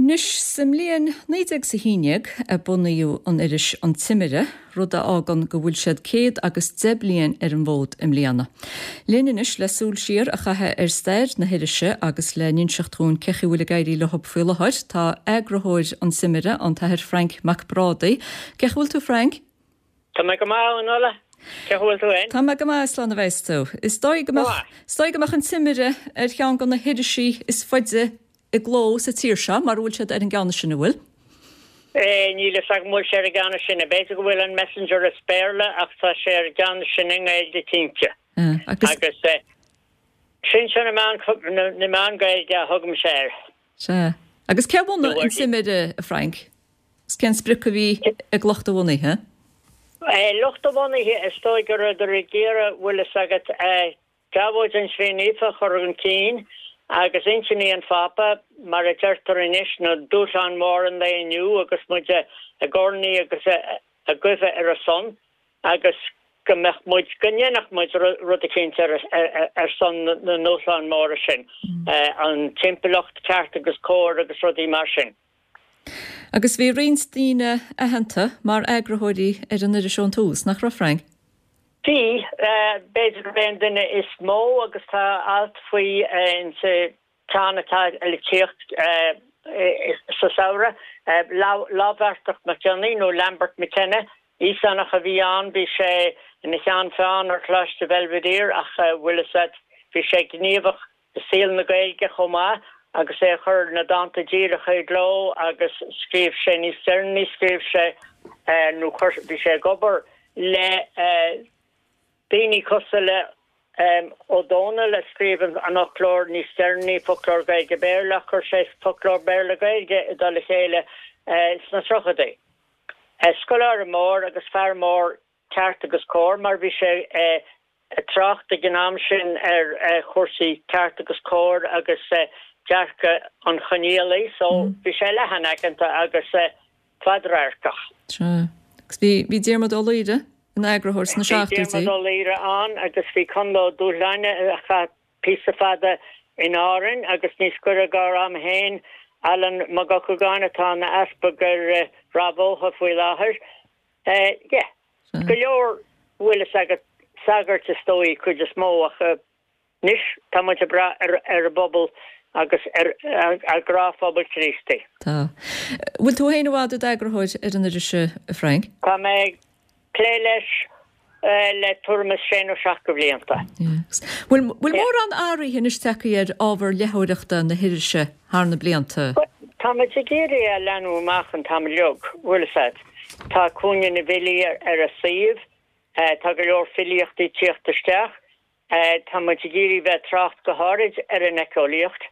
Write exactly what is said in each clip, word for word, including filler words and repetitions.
Anois sa mbliain naoi déag 's a haon déag a bunaíodh an iris An Timire, rud a fhágann go bhfuil siad céad agus deich bliain ar an bhfód i mbliana. Linn anois le súil siar a chaitheamh ar stair na hirise agus le n-inseacht dhúinn cé chaoi a bhfuil ag éirí leo faoi láthair, tá eagarthóir An Timire, an tAthair Frainc Mac Brádaigh. Cé chaoi a bhfuil tú Frank? Tá mé go maith, a Fhionnuala. Cé chaoi a bhfuil tú féin? Tá mé go maith, slán a bheas tú. Is dóigh go mbeadh, is dóigh go mbeadh An Timire ar cheann de na hirisí is faide i gcló sa tír seo, mar a bhfuil siad ar an gceann is sine, bhfuil? Níl a fhios agam bhfuil sé ar an gceann is sine. B'fhéidir go bhfuil an Messenger as Béarla ach tá sé ar an gceann is sine i nGaeilge cinnte. Agus. Agus sinsear na meán, na meán Gaeilge a thugaimse air. Sea. Agus cé a bhunaigh an Timire, a Frank? Is cén sprioc a bhí ag lucht a bhunaithe? Lucht a bhunaithe, is dóigh go rabhadar ag iarraidh, bhfuil fhios agat, Deabhóid an Chroí Naofa a chur chun cinn agus intinní an Phápa, mar a deirtear anois, na dúshláin mhóra an lae inniu agus muid ag urnaí agus ag guibhe ar a son agus go mbeadh muid, go ndéanfadh muid rud eicínt ar son na ndúshlán móra sin, an timpeallacht, ceart agus cóir agus rudaí mar sin. Agus bhí roinnt daoine aitheanta mar eagarthóirí ar an iris ón tús, nach raibh, Frank? Bhí, b'fhéidir gurb é an duine is mó agus tá alt faoi insa cheann atá le tíocht sa samhradh, Láimhbheartach Mac Cionnaith nó Lambert McKenna, Íosánach a bhí ann, bhí sé ina cheann feadhain ar Choláiste Belvedere ach bhfuil fhios agat, bhí sé gníomhach i saol na Gaeilge chomh maith agus é a chur na dánta díreacha i gcló agus scríobh sé níos deireanaí, scríobh sé nó chuir, bhí sé ag obair le daoine cosúil le Ó Dónaill a scríobh an fhoclóir níos deireanaí, Foclóir Gaeilge-Béarla, ach chuir sé Foclóir Béarla-Gaeilge i dtoll a chéile sna tríochaidí. Scoláire mór agus fear mór ceart agus cóir mar bhí sé ag trácht ag an am sin ar chúrsaí ceart agus cóir agus dearcadh an Choinníollaigh so bhí sé leathanaiceanta agus fadradharcach. Sea. Agus bhí, bhí Diarmuid Ó Laoire ina eagarthóir sna Bhí seachtóidí. Diarmuid Ó Laoire ann agus bhí Conall Ó Dúshláine a chaith píosa fada in Árainn agus níos gaire dár am féin, Alan Mac Eochagáin atá ina easpag ar Ráth Bhotha faoi láthair. Yeah. Go leor, bhfuil fhios agat, sagairt is dóigh, cuid is mó ach Anois tá muid ag brath ar an bpobal agus ar an ghnáthphobal Críostaí. Tá. Bhfuil tú féin i bhfad i d'eagarthóir ar an iris, a Frank? Tá mé ag plé leis le tuairim is sé nó seacht de bhlianta. Bhfuil bhfuil mórán athraithe anois tagtha ar ábhar léitheoireachta na hirise thar na blianta? Tá muid ag iarraidh é a leathnú amach an t-am uilig, bhfuil fhios agat. Tá Cúinne na bhFilí ar an suíomh, tá go leor filíochtaí ag tíocht isteach. Tá muid ag iarraidh bheith ag trácht go háirid ar an éiceolaíocht,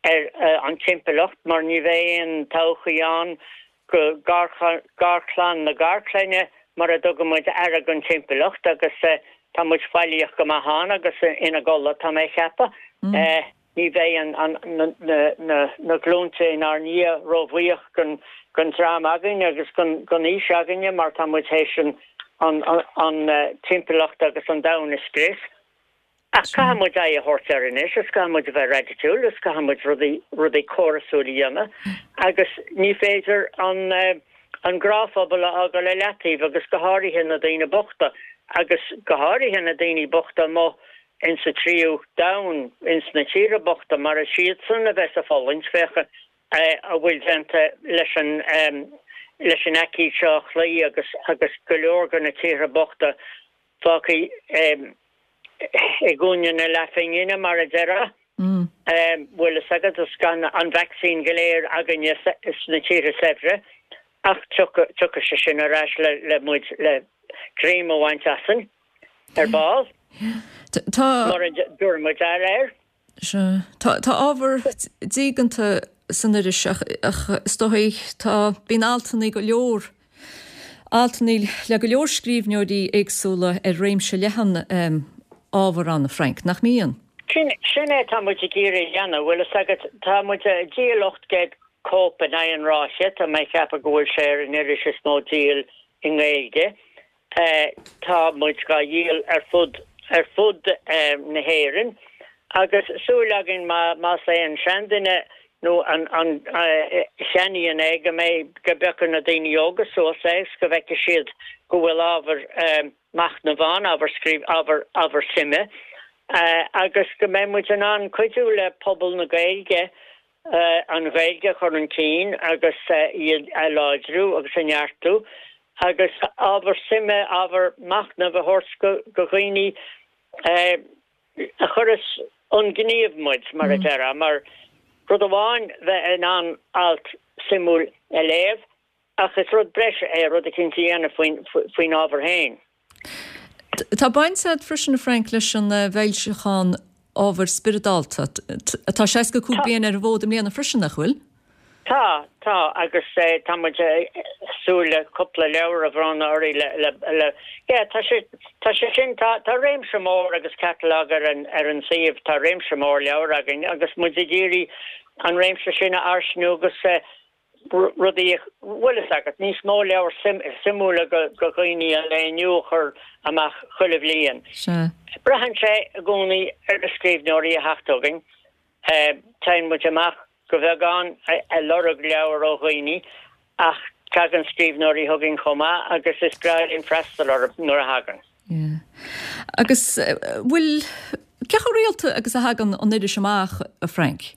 ar an timpeallacht, mar ní bheidh aon todhchaí ann go garchlann na garchlainne mura dtugann muid aire don timpeallacht agus tá muid faillíoch go maith ann agus ina gcodladh, tá mé ag ceapadh. Ní bheidh na glúnta inár ndiaidh róbhuíoch den dream againn agus den aois againne mar tá muid théis an timpeallacht agus an domhan a scrios. Ach caithfidh muid aghaidh a thabhairt air anois is caithfidh muid a bheith raidiciúil is caithfidh muid rudaí rudaí córasúil a dhéanamh agus ní féidir an gnáthphobal a fhágáil i leataobh agus go háirithe na daoine bochta agus go háirithe na daoine bochta amuigh ins sa tríú domhan, ins na tíortha bochta, mar is iadsan a bheas ag fulaingt, féach a bhfuil déanta leis an leis an aicíd seo a chloí agus agus go leor de na tíortha bochta fágtha i gcúinne na leathphingine, mar a déarfá. Bhfuil fhios agat, is gan an vacsaín go léir againne sna tíortha saibhre, ach tiocfaidh sé sin ar ais le le muid le greim a bhaint asainn. Ar ball. Tá. Mura dtabharfaidh muid aire air. Sea. Tá, tá ábhar diaganta san iris ach, ach is dóigh, tá, bíonn altanna go leor, altanna le go leor scríbhneoirí éagsúla ar réimse leathan ábhar ann, a Frank, nach mbíonn? Sin, sin é atá muid ag iarraidh a dhéanamh, bhfuil fhios agat, tá muid ag díol ocht gcéad cóip in aghaidh an ráithe, tá mé ag ceapadh go bhfuil sé ar an iris is mó díol i nGaeilge. Tá muid dhá dhíol ar fud ar fud na hÉireann agus súil againn má más é an seanduine nó an an a cheannaíonn é go mbeidh go bpiocfaidh na daoine óga suas é agus go bhfeicfidh siad go bhfuil ábhar machnaimh ann, ábhar scríobh, ábhar ábhar suime agus go mbeidh muid in ann cuidiú le pobal na Gaeilge an Ghaeilge a chur chun cinn agus í a láidriú agus a neartú agus ábhar suime, ábhar machnaimh a thabhairt go go dhaoine a chuireas chun gnímh muid, mar a déarfá, mar rud amháin bheith in ann alt suimiúil a léamh ach is rud breise é rud eicínt a dhéanamh faoin faoin ábhar féin. Tá baint agat freisin, a Frank, leis an bhfoilseachán Ábhar Spioradálta, atá seasca cúig bliain ar an bhfód i mbliana freisin, nach bhfuil? Tá, tá, agus tá muid ag súil le cúpla leabhar a bhronnadh orthu le, le, le, yeah, tá sé, tá sé sin, tá, tá réimse mór agus catalog ar an, ar an suíomh, tá réimse mór leabhar againn agus muid ag iarraidh an réimse sin a fhairsingiú agus rudaí, bhfuil fhios agat, níos mó leabhar suimiúla go dhaoine an lae inniu a chur amach chuile bhliain. Sea. Braitheann sé i gcónaí ar na scríbhneoirí a theacht chugainn. Téann muid amach go beagán ag lorg leabhar ó dhaoine ach tagann scríbhneoirí chugainn chomh maith agus is breá linn freastal orthu nuair a thagann. Yeah. Agus bhfuil, cé chomh rialta agus a thagann an iris amach, a Frank?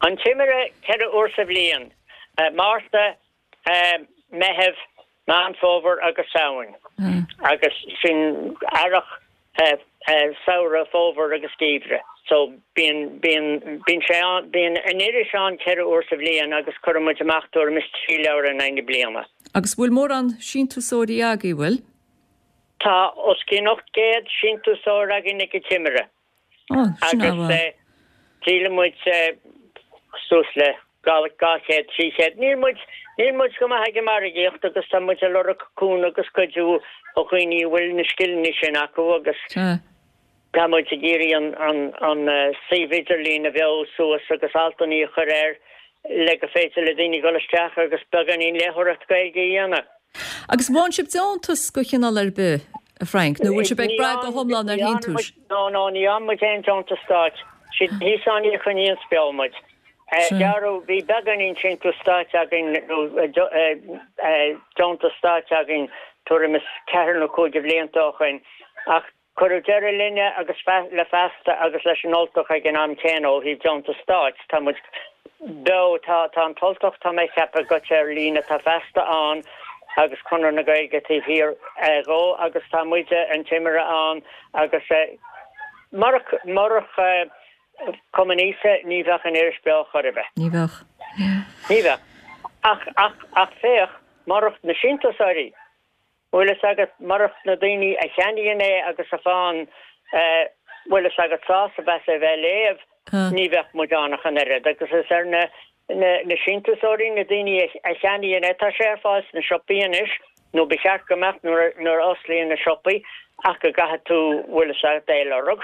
An Timire ceithre uair sa bhliain, Márta, Meitheamh, Meán Fómhair agus Samhain. Agus sin earrach, samhradh, fómhar agus geimhreadh. So bíonn, bíonn, bíonn sé ann, bíonn an iris ann ceithre uair sa bhliain agus cuireann muid amach tuairim is trí leabhar in aghaidh na bliana. Agus bhfuil mórán síntiúsóirí agaibh, bhfuil? Tá os cionn ocht gcéad síntiúsóir againn ag an Timire. Agus díolann muid suas le dhá chéad, trí chéad. Níl muid, níl muid go maith ag an margaíocht agus tá muid ag lorg cúnamh agus cuidiú ó dhaoine a bhfuil na scileanna sin acu agus tá muid ag iarraidh an, an, an suíomh idirlín a bheo suas agus altanna a chur air le go féidir le daoine dul isteach agus beagáinín léitheoireacht Gaeilge a dhéanamh. Agus bhfaigheann sibh deontas de chineál ar bith, a Frank, nó bhfuil sibh ag brath go hiomlán ar shíntiúis? No, no, ní fhaigheann muid aon deontas stáit. Siad na hÍosánaigh a choinníonns beo muid. Gearradh, bhí beagáinín síntiús stáit againn, nó deontas stáit againn tuairim is ceathair nó cúig de bhlianta ó shoin, ach cuireadh deireadh linne agus le Feasta agus leis an Ultach ag an am céanna ó thaobh deontas stáit. Tá muid beo, tá tá an tUltach, tá mé ag ceapadh, gaibhte ar líne, tá Feasta ann agus Conradh na Gaeilge taobh thiar dhó agus tá muide, an Timire, ann agus murach, murach Cumann Iosa ní bheadh an iris beo chor ar bith. Ní bheadh. Ní bheadh. Ach, ach, ach féach, murach na síntiúsóirí, bhfuil fhios agat, murach na daoine a cheannaíonn é agus a fhaigheann, bhfuil fhios agat, sásamh as é bheith á léamh, ní bheadh muid ann ach an oiread. Agus is ar na, na, na síntiúsóirí, na daoine a cheannaíonn é, tá sé ar fáil sna siopaí anois, nó ba cheart go mbeadh nuair, nuair a osclaíonn na siopaí, ach go gcaithfidh tú, bhfuil fhios agat, é a lorg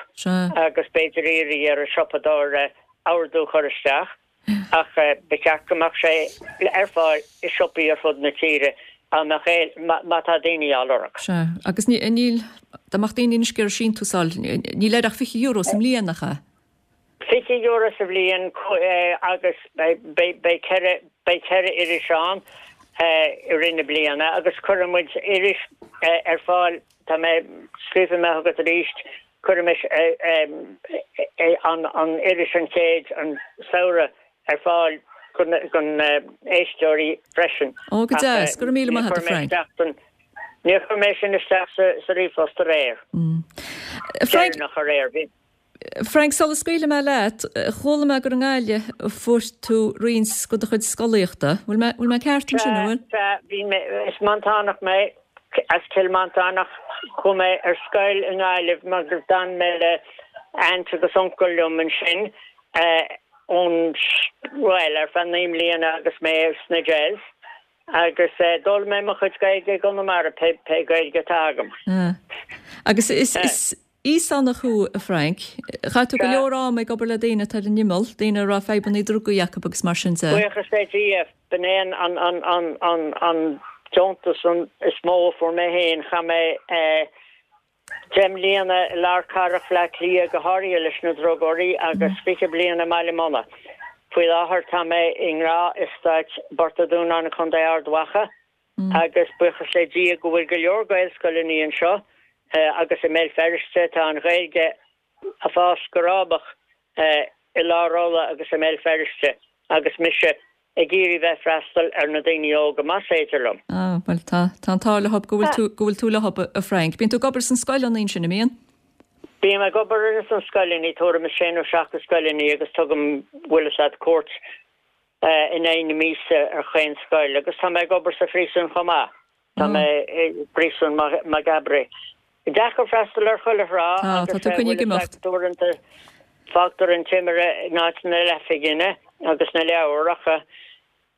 agus b'fhéidir iarraidh ar an siopadóir ordú a chur isteach. Ach ba cheart go mbeadh sé ar fáil i siopaí ar fud na tíre dá mbeadh é, má tá daoine á lorg. Sea, agus níl, dá mbeadh daoine anois ag iarraidh síntiús a fháil, níl air ach fiche euro sa mbliain, nach ea? Fiche euro sa bhliain agus beidh ceithre, beidh ceithre iris ann i rith na bliana agus cuirfidh muid iris ar fáil, tá mé, scríobfaidh mé chugat arís, cuirfimis an iris an chéad, an samhradh ar fáil do na héisteoirí freisin. Ó, go deas, go raibh míle maith agat, a Frank. Níor chuir mé sin isteach sa ríomhphost aréir. Frank, Deireanach aréir, bhí. Frank, sula scaoilfidh mé leat, chuala mé gur i nGaillimh a fuair tú roinnt de do chuid scolaíochta. Bhfuil mé, bhfuil mé ceart ansin, an bhfuil? Sea, bhí mé, is Mantánach mé, as Cill Mhantáin ach chuaigh mé ar scoil i nGaillimh mar gur d'fhan mé le aint agus uncail liom ansin ón, bhuel, ar feadh naoi mbliana agus mé sna Des agus d'fhoghlaim mé mo chuid Gaeilge i gConamara, pé, pé Gaeilge atá agam. Agus is, is Íosánach thú, a Frank. Chaith tú go leor ama ag obair le daoine atá ar an imeall, daoine a raibh fadhbanna drugaí acu agus mar sin de. Buíochas le Dia, b'in é an deontas is mó a fuair mé féin. Chaith mé deich mbliana i lár cathrach Bhaile Átha Cliath, go háirithe leis na drugóirí, agus fiche bliain i mBaile Munna. Faoi láthair tá mé i nGnáth-Eastát Phort an Dúnáin i Contae Ard Mhacha agus buíochas le Dia go bhfuil go leor Gaelscoileanna anseo agus i mBéal Feirste tá an Ghaeilge ag fás go rábach i lár Uladh agus i mBéal Feirste agus mise ag iarraidh bheith freastal ar na daoine óga más féidir liom. Ah, bhuel tá, tá an t-ádh leob go bhfuil tú, go bhfuil tú leob a Frank. Bíonn tú ag obair sna scoileanna ansin, an mbíonn? Bím ag obair ins na scoileanna, tuairim is sé nó seacht de scoileanna agus tugaim, bhfuil fhios a'd, cuairt in aghaidh na míosa ar chaon scoil agus tá mé ag obair sa phríosún chomh maith. Tá mé i bpríosún Maghaberry. Deacair freastal ar chuile thrá agus tá tú coinnithe ag imeacht. Uaireanta fágtar an Timire in áit na leathphingine agus na leabhar ach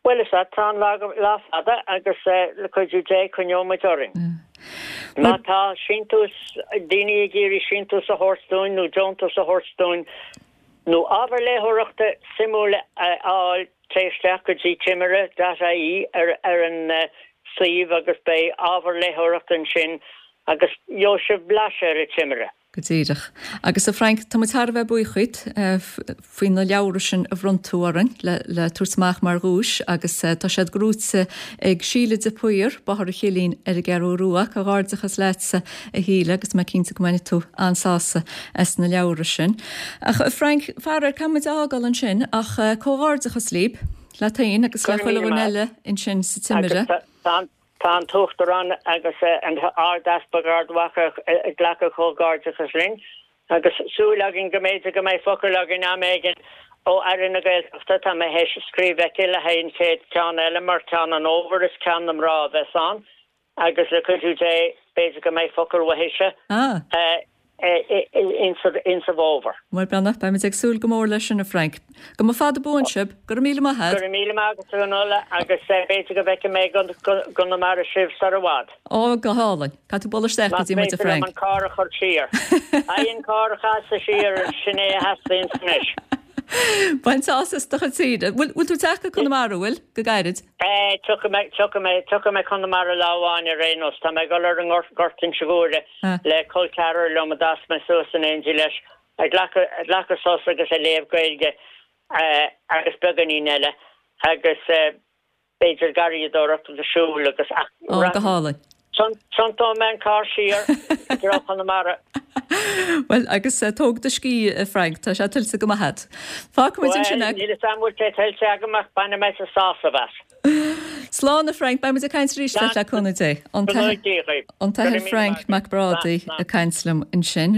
bhuel is ea tá an lá fada agus le cuidiú Dé coinneoidh muid orainn. Má tá síntiús, daoine ag iarraidh síntiús a thabhairt dúinn nó deontas a thabhairt dúinn nó ábhar léitheoireachta suimiúil a fháil téigh isteach go dtí timire dot ie ar ar an suíomh agus beidh ábhar léitheoireachta ansin agus gheobhaidh sibh blaiseadh ar an Timire. Go díreach. Agus a Frank, tá muid thar a bheith buíoch dhuit faoi na leabhra sin a bhronn tú orainn le le tabhairt amach mar dhuais agus tá siad gnóite ag Síle de Paor, Bóthar an Chillín ar an gCeathrú Rua. Comhghairdeachas leatsa a Shíle agus tá mé cinnte go mbainfidh tú an-sásamh as na leabhra sin. Ach a Frank, faraor, caithfidh muid a fhágáil ansin ach comhghairdeachas libh, leat féin agus Go le raibh chuile míle dhuine maith. eile ansin sa Timire. Agus tá an Tá an tUachtarán agus an tArd-Easpag Ard Mhacha ag glacadh comhghairdeachas linn agus súil againn go mb'fhéidir go mbeidh focal againn am éigin ó Aire na Gaeltachta. Tá mé théis scríobh chuici le haghaidh an chéad ceann eile mar ceann an fhómhair is ceann na mná a bheas ann agus le cuidiú Dé b'fhéidir go mbeidh focal uaithise. Ah. Insa bhfómhar. Bhuel, beannacht, beimid ag súil go mór leis sin, a Frank. Go mba fada buan sibh. Go raibh míle maith a't. Go raibh míle maith agat, a Fhionnuala, agus b'fhéidir go bhfeicfidh mé i gConamara sibh sar i bhfad. Ó, go hálainn. Caithfidh tú bualadh isteach go Más dtí muid, a féidir liom Frank. an carr a chur siar. Ai, an carr a chasadh siar, sin é a theastaíonns anois. Bain sásamh as do chuid saoire. Bhfuil bhfuil tú ag teacht go Conamara, bhfuil? Go gairid? Eh, tiocfaidh mé, tiocfaidh mé, tiocfaidh mé Conamara lá amháin ar aon nós. Tá mé ag dul ar an nGort Inse Guaire le col ceathrar liom a d'fhás mé suas in éindí leis, ag glacadh, ag glacadh sos agus ag léamh Gaeilge eh, agus beagáinín eile agus eh, B'fhéidir garraíodóireacht agus siúl agus ach Ó, go hálainn. Tiontóidh mé an carr siar i dtreo Chonamara. Bhuel, agus tóg do scíth, a Frank, tá sé tuillte go maith agat. Fágfaimid ansin Bhuel, é. níl 'fhios a'm bhfuil sé tuillte agam ach bainfidh mé sásamh as. Slán, a Frank, beidh muid ag caint arís leat le cúnamh Dé. An Go t-Athair Dia dhaoibh. an Go t-Athair raibh míle Frank maith agat. Mac Slán, Brádaigh slán. ag caint liom ansin.